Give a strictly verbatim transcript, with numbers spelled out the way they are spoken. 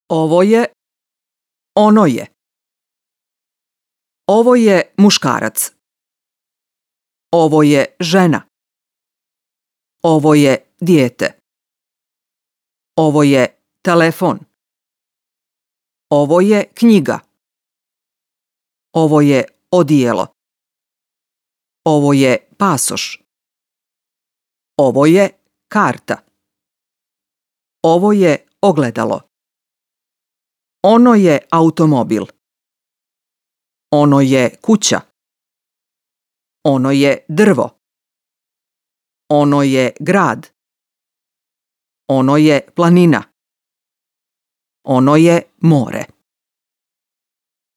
Ovo je, ono je. Ovo je muškarac. Ovo je žena. Ovo je dijete. Ovo je telefon. Ovo je knjiga. Ovo je odijelo. Ovo je pasoš. Ovo je karta. Ovo je ogledalo. Ono je automobil. Ono je kuća. Ono je drvo. Ono je grad. Ono je planina. Ono je more.